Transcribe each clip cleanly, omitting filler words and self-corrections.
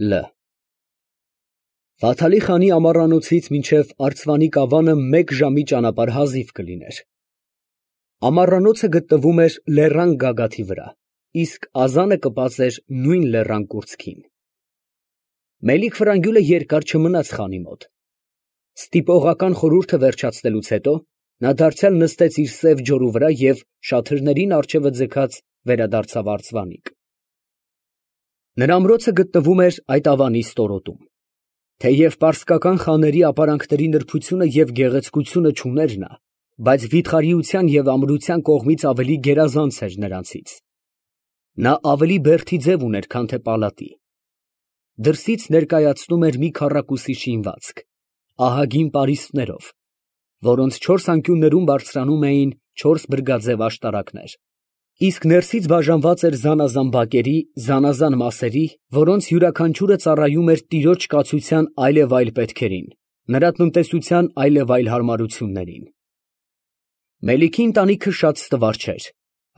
Լ Վաթալի խանի ամառանոցից մինչև Արցվանի կավանը 1 ժամի ճանապարհ հազիվ կլիներ։ Ամառանոցը գտնվում էր լեռան գագաթի վրա, իսկ ազանը կպած էր նույն լեռան կուրծքին։ Մելիք֊Ֆրանգյուլը երկար չմնաց խանի մոտ։ Ստիպողական խորհուրդը վերջացնելուց հետո նա դարձյալ նստեց իր սև ջորու վրա և շաթրներին առջևը ձգած վերադարձավ Արցվանիկ։ Նրա ամրոցը գտնվում էր այդ ավանի ստորոտում։ Թեև պարսկական խաների ապարանքների նրբությունը և գեղեցկությունը չուներ նա, բայց վիթխարիության և ամրության կողմից ավելի գերազանց էր նրանցից։ Նա ավելի բերդի ձև ուներ, քան թե պալատի։ Դրսից ներկայացնում էր մի քառակուսի շինվածք, ահագին պարիսպներով, որոնց 4 անկյուններում բարձրանում էին 4 բրգաձև աշտարակներ, իսկ ներսից բաժանված էր զանազան բակերի, զանազան մասերի, որոնց յուրաքանչյուրը ծառայում էր տիրոջ կացության այլևայլ պետքերին, նրա տնտեսության այլևայլ հարմարություններին։ Մելիքի ընտանիքը շատ ստվար չէր,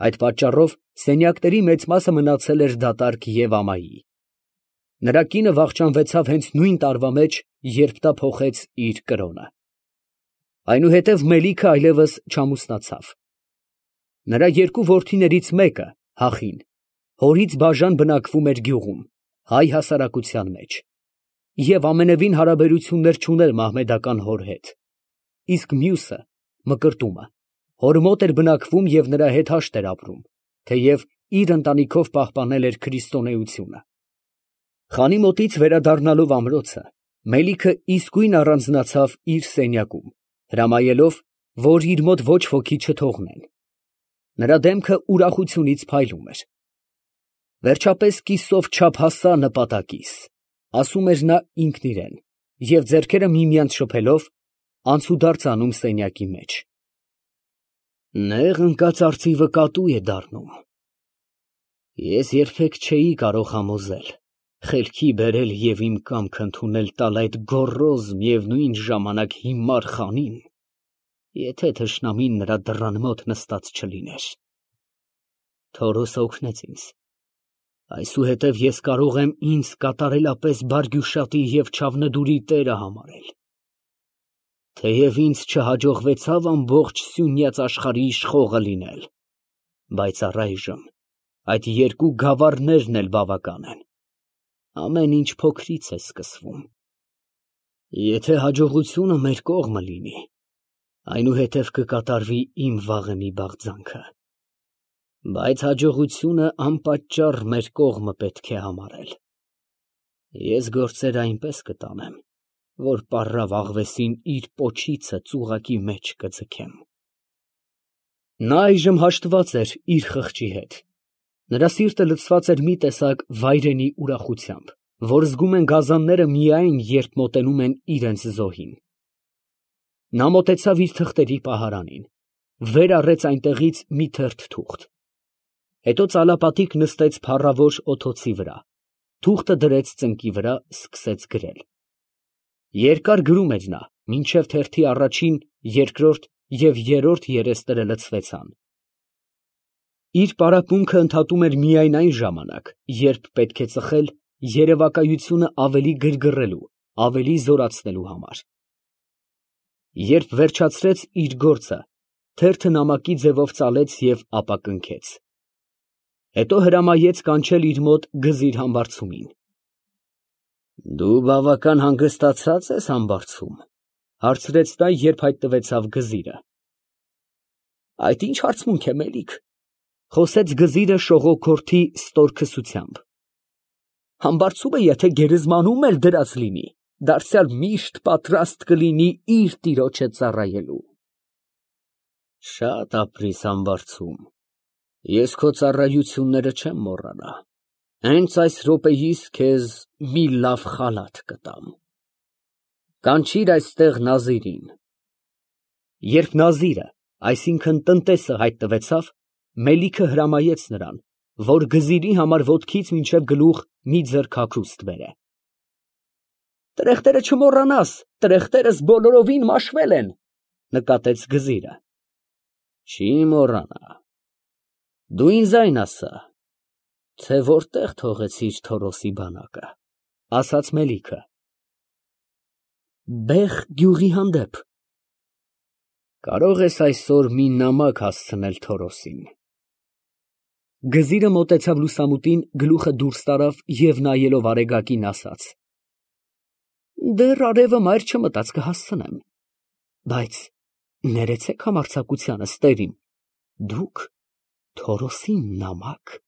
այդ պատճառով սենյակների մեծ մասը մնացել էր դատարկ և ամայի։ Նրա կինը վախճանվեցավ հենց նույն տարվա մեջ, երբ նա փոխեց իր կրոնը։ Այնուհետև Մելիքը այլևս չամուսնացավ։ Նրա 2 որդիներից մեկը, Հախին, հորից բաժան բնակվում էր գյուղում, հայ հասարակության մեջ, և ամենևին հարաբերություններ չուներ մահմեդական հոր հետ, իսկ մյուսը, Մկրտումը, հոր մոտ էր բնակվում և նրա հետ հաշտ էր ապրում, թեև իր ընտանիքով պահպանել էր քրիստոնեությունը։ Խանի մոտից վերադառնալով ամրոցը, Մելիքը իսկույն առանձնացավ իր սենյակում, հրամայելով, որ իր մոտ ոչ ոքի չթողնեն։ Նրա դեմքը ուրախությունից փայլում էր։ Վերջապես կիսով չափ հասա նպատակիս, ասում էր նա ինքն իրան, և ձեռքերը միմյանց շփելով, անցուդարձ անում սենյակի մեջ։ Նեղ ընկած արծիվը կատու է դառնում։ Ես երբեք չէի կարող համոզել, խելքի բերել և իմ կամքը ընդունել տալ այդ գոռոզ, միևնույն ժամանակ հիմար խանին, եթե թշնամին նրա դռան մոտ նստած չլիներ։ Թորոսը օգնեց ինձ, այսուհետև ես կարող եմ ինձ կատարելապես Բարգյուշատի և Չավնդուրի տերը համարել։ Թեև ինձ չհաջողվեցավ ամբողջ սյունյաց աշխարհի իշխողը լինել, բայց առայժմ այդ 2 գավառներն էլ բավական են։ Ամեն ինչ փոքրից է սկսվում։ Եթե հաջողությունը մեր կողմը լինի, այնուհետև կկատարվի իմ վաղեմի բաղձանքը, բայց հաջողությունը անպատճառ մեր կողմը պետք է համարել։ Ես գործերը այնպես կտանեմ, որ պառավ աղվեսին իր պոչիցը ծուղակի մեջ կձգեմ։ Նա այժմ հաշտված էր իր խղճի հետ։ Նրա սիրտը լցված էր մի տեսակ վայրենի ուրախությամբ, որ զգում են գազանները միայն, երբ մոտենում են իրենց զոհին։ Նա մոտեցավ իր թղթերի պահարանին, վեր առեց այնտեղից մի թերթ թուղթ, հետո ծալապատիկ նստեց փառավոր օթոցի վրա, թուղթը դրեց ծնկի վրա, սկսեց գրել։ Երկար գրում էր նա, մինչև թերթի առաջին, երկրորդ և երրորդ երեսները լցվեցան։ Իր պարապմունքը ընդհատում էր միայն այն ժամանակ, երբ պետք է ծխել երևակայությունը ավելի գրգռելու, ավելի զորացնելու համար։ Երբ վերջացրեց իր գործը, թերթը նամակի ձևով ծալեց և ապա կնքեց։ Հետո հրամայեց կանչել իր մոտ գզիր համբարձումին։ Դու բավական հանգստացա՞ծ ես համբարձում, հարցրեց նա, երբ հայտնվեցավ գզիրը։ Այդ ի՞նչ հարցմունք է, Մելիք, խոսեց գզիրը շողոքորթի ստորքսությամբ։ Համբարձումը եթե գերեզմանում էլ դրած լինի, դարձյալ միշտ պատրաստ կլինի իր տիրոջը ծառայելու։ Շատ ապրիր համբարձում, ես քո ծառայությունները չեմ մոռանա, հենց այս րոպեիս քեզ մի լավ խալաթ կտամ։ Կանչիր այստեղ Նազիրին։ Երբ Նազիրը, այսինքն տնտեսը հայտնվեցավ, Մելիքը հրամայեց նրան, որ գզիրի համար ոտքից մինչև գլուխ մի ձեռք հագուստ բերե։ Տրեխտերը չմոռանաս, տրեխտերս բոլորովին մաշվել են, նկատեց գզիրը։ Չի մոռանա։ Դու ինձ այն ասա, թե որտեղ թողեցիր Թորոսի բանակը։ ասաց Մելիքը։ Բեղ գյուղի հանդեպ։ Կարող ես այսօր մի նամակ հասցնել Թորոսին։ Գզիրը մոտեցավ լուսամուտին, գլուխը դուրս տարավ և նայելով Արեգակին ասաց. Դեռ արևը մայր չմտած կհասցնեմ, բայց ներեցեք համարձակությանս, տերիմ, դուք Թորոսին նամակ։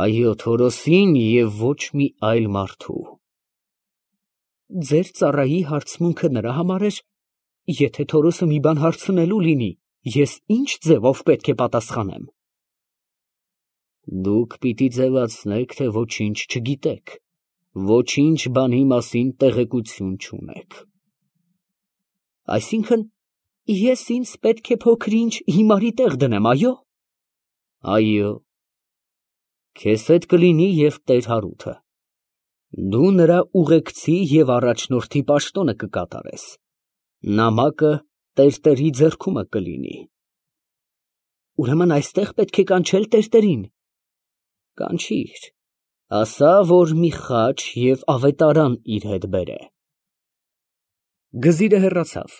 Այո, Թորոսին և ոչ մի այլ մարդու։ Ձեր ծառայի հարցմունքը նրա համար էր, եթե Թորոսը մի բան հարցնելու լինի, ես ինչ ձևով պետք է պատասխանեմ։ Դուք պիտի ձևացնեք, թե ոչինչ չգիտեք, ոչինչ բանի մասին տեղեկություն չունեք։ Այսինքն, ես ինձ պետք է փոքր-ինչ հիմարի տեղ դնեմ, այո։ Այո։ Քեզ հետ կլինի և տեր Հարութը։ Դու նրա ուղեկցի և առաջնորդի պաշտոնը կկատարես։ Նամակը տերտերի ձեռքումը կլինի։ Ուրեմն այստեղ պետք է կանչել տերտերին։ Կանչիր, ասա, որ մի խաչ և ավետարան իր հետ բերե։ Գզիրը հեռացավ։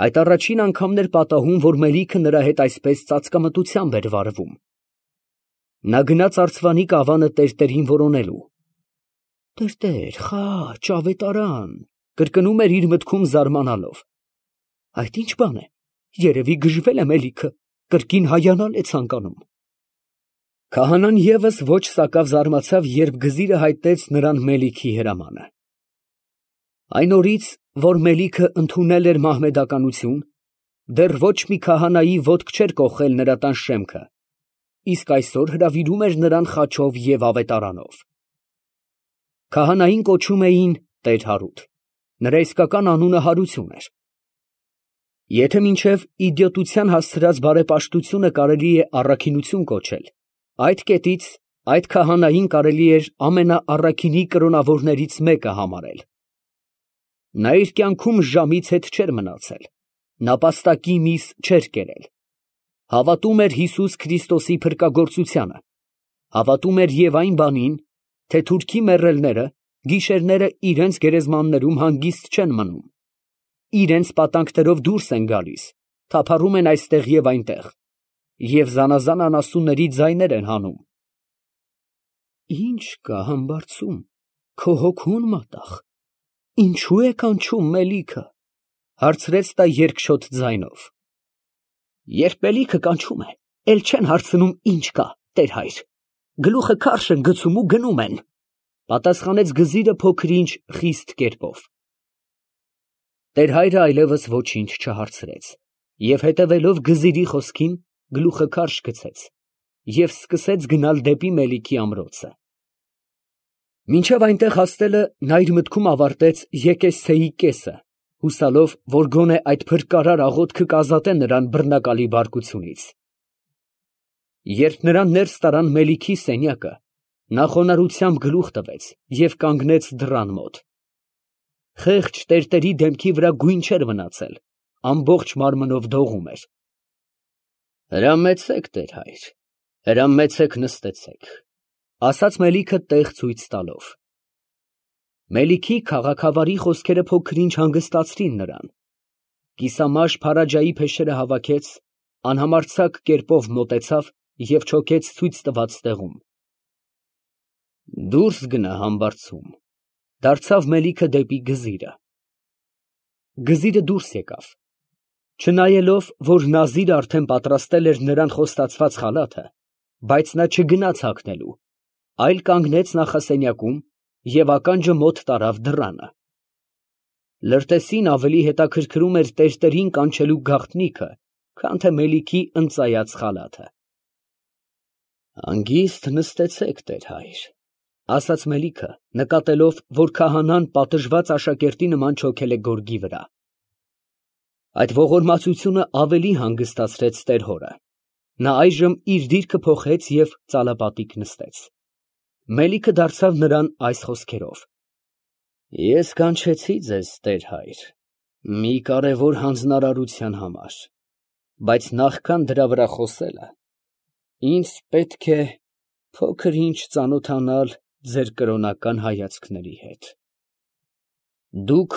Այդ առաջին անգամն էր պատահում, որ Մելիքը նրա հետ այսպես ծածկամտությամբ էր վարվում։ Նա գնաց արծվանի կավանը տերտերին որոնելու։ Տերտեր, խաչ, ավետարան, կրկնում էր իր մտքում զարմանալով։ Այդ ինչ բան է, երևի գժվել է Մելիքը, կրկին հայանալ է ցանկանում։ Քահանան ևս ոչ սակավ զարմացավ, երբ գզիրը հայտնեց նրան Մելիքի հրամանը։ Այն օրից, որ Մելիքը ընդունել էր մահմեդականություն, դեռ ոչ մի քահանայի ոտք չէր կոխել նրա տան շեմքը, իսկ այսօր հրավիրում էր նրան խաչով և ավետարանով։ Քահանային կոչում էին տեր Հարութ, նրա իսկական անունը Հարություն էր։ Եթե մինչև իդիոտության հասցրած բարեպաշտությունը կարելի է առաքինություն կոչել, այդ կետից այդ քահանային կարելի էր ամենաառաքինի կրոնավորներից մեկը համարել։ Նա իր կյանքում ժամից հետ չէր մնացել, նապաստակի միս չէր կերել, հավատում էր Հիսուս Քրիստոսի փրկագործությանը, հավատում էր և այն բանին, թե թուրքի մեռելները գիշերները իրենց գերեզմաններում հանգիստ չեն մնում, իրենց պատանքներով դուրս են գալիս, թափառում են այստեղ և այնտեղ, և զանազան անասունների ձայներ են հանում։ Ինչ կա համբարձում, քո հոգուն մատաղ, ինչու է կանչում Մելիքը, հարցրեց նա երկչոտ ձայնով։ Երբ Մելիքը կանչում է, էլ չեն հարցնում ինչ կա, տեր հայր, գլուխը քարշ են գցում ու գնում են, պատասխանեց գզիրը փոքր-ինչ խիստ կերպով։ Տեր հայրը այլևս ոչինչ չհարցրեց և հետևելով գզիրի խոսքին գլուխը քարշ գցեց և սկսեց գնալ դեպի Մելիքի ամրոցը։ Մինչև այնտեղ հասնելը նա իր մտքում ավարտեց եկեսցեի կեսը, հուսալով, որ գոնե այդ փրկարար աղոթքը կազատե նրան բռնակալի բարկությունից։ Երբ նրան ներս տարան Մելիքի սենյակը, նա խոնարհությամբ գլուխ տվեց և կանգնեց դռան մոտ։ Խեղճ տերտերի դեմքի վրա գույն չէր մնացել, ամբողջ մարմնով դողում էր։ Հրամեցեք, տեր հայր, հրամեցեք, նստեցեք, ասաց Մելիքը տեղ ցույց տալով։ Մելիքի քաղաքավարի խոսքերը փոքր-ինչ հանգստացրին նրան։ Կիսամաշ Փարաջայի փեշերը հավաքեց, անհամարձակ կերպով մոտեցավ և չոքեց ցույց տված տեղում։ Դուրս գնա համբարձում, դարձավ Մելիքը դեպի գզիրը։ Գզիրը դուրս եկավ։ Չնայելով, որ Նազիրը արդեն պատրաստել էր նրան խոստացված խալաթը, բայց նա չգնաց հագնելու, այլ կանգնեց նախասենյակում և ականջը մոտ տարավ դռանը։ Լրտեսին ավելի հետաքրքրում էր տերտերին կանչելու գաղտնիքը, քան թե Մելիքի ընծայած խալաթը։ Հանգիստ նստեցեք, տեր հայր, ասաց Մելիքը, նկատելով, որ քահանան պատժված աշակերտի նման չոքել է գորգի վրա։ Այդ ողորմածությունը ավելի հանգստացրեց տեր հորը։ Նա այժմ իր դիրքը փոխեց և ծալապատիկ նստեց։ Մելիքը դարձավ նրան այս խոսքերով. Ես կանչեցի ձեզ, տեր հայր, մի կարևոր հանձնարարության համար, բայց նախքան դրա վրա խոսելը, ինձ պետք է փոքր ինչ ծանոթանալ ձեր կրոնական հայացքների հետ։ Դուք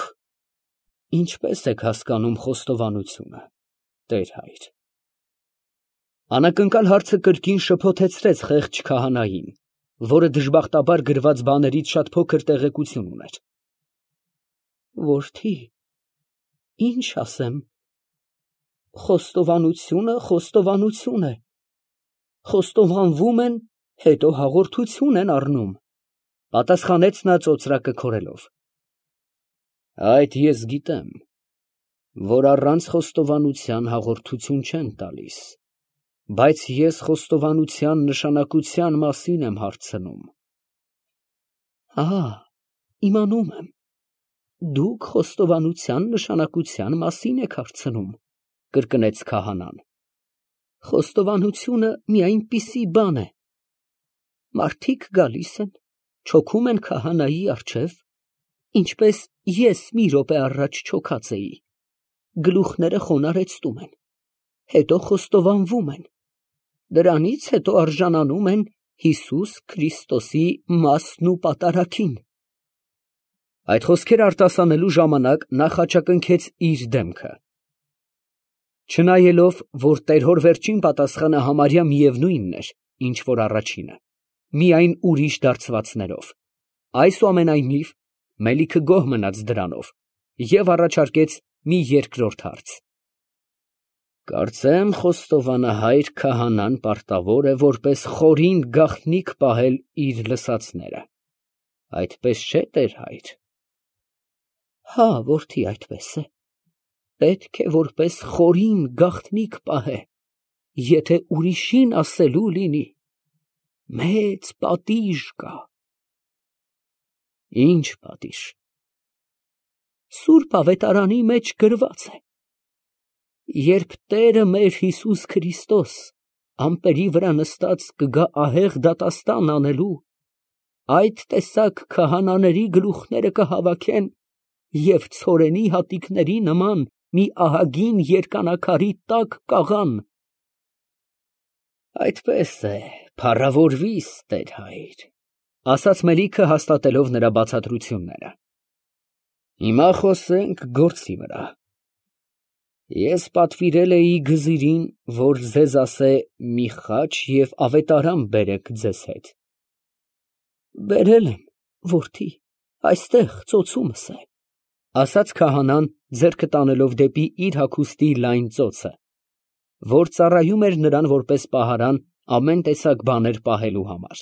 ինչպես եք հասկանում խոստովանությունը, Տեր հայր։ Անակնկալ հարցը կրկին շփոթեցրեց խեղճ քահանային, որը դժբախտաբար գրված բաներից շատ փոքր տեղեկություն ուներ։ Որդի, ինչ ասեմ, խոստովանություն է, խոստովանվում են, հետո հաղորդություն են առնում, պատասխանեց նա ծոծրակը քորելով։ Այդ ես գիտեմ, որ առանց խոստովանության հաղորդություն չեն տալիս, բայց ես խոստովանության նշանակության մասին եմ հարցնում։ Իմանում եմ, դուք խոստովանության նշանակության մասին եք հարցնում, կրկնեց քահանան։ Խոստովանությունը մի այնպիսի բան է։ Մարդիկ գալիս են, չոքում են քահանայի առջև, ինչպես ես մի րոպե առաջ չոքած էի, գլուխները խոնարհեցնում են, հետո խոստովանվում են, դրանից հետո արժանանում են Հիսուս Քրիստոսի մասն ու պատարագին։ Այդ խոսքերը արտասանելու ժամանակ նա խաչակնքեց իր դեմքը։ Չնայելով, որ տերհոր վերջին պատասխանը համարյա միևնույնն էր, ինչ որ առաջինը, միայն ուրիշ դարձվածներով, այսուամենայնիվ Մելիքը գոհ մնաց դրանով և առաջարկեց մի երկրորդ հարց։ Կարծեմ խոստովանահայր քահանան պարտավոր է որպես խորին գաղտնիք պահել իր լսածները, այդպես չէ՞, Տեր հայր։ Հա, որդի, այդպես է, պետք է որպես խորին գաղտնիք պահե, եթե ուրիշին ասելու լինի, մեծ պատիժ կա։ Ինչ պատիժ։ Սուրբ ավետարանի մեջ գրված է. երբ Տերը մեր Հիսուս Քրիստոս ամպերի վրա նստած կգա ահեղ դատաստան անելու, այդ տեսակ քահանաների գլուխները կհավաքեն և ցորենի հատիկների նման մի ահագին երկանակարի տակ կաղան։ Այդպես է, փառավորվի՛ս, Տեր հայր, ասաց Մելիքը հաստատելով նրա բացատրությունները։ Հիմա խոսենք գործի վրա։ Ես պատվիրել էի գզիրին, որ ձեզ ասե մի խաչ և ավետարան բերեք ձեզ հետ։ Բերել եմ, որդի, այստեղ ծոցումս է, ասաց քահանան, ձեռքը տանելով դեպի իր հագուստի լայն ծոցը, որ ծառայում էր նրան որպես պահարան ամեն տեսակ բաներ պահելու համար։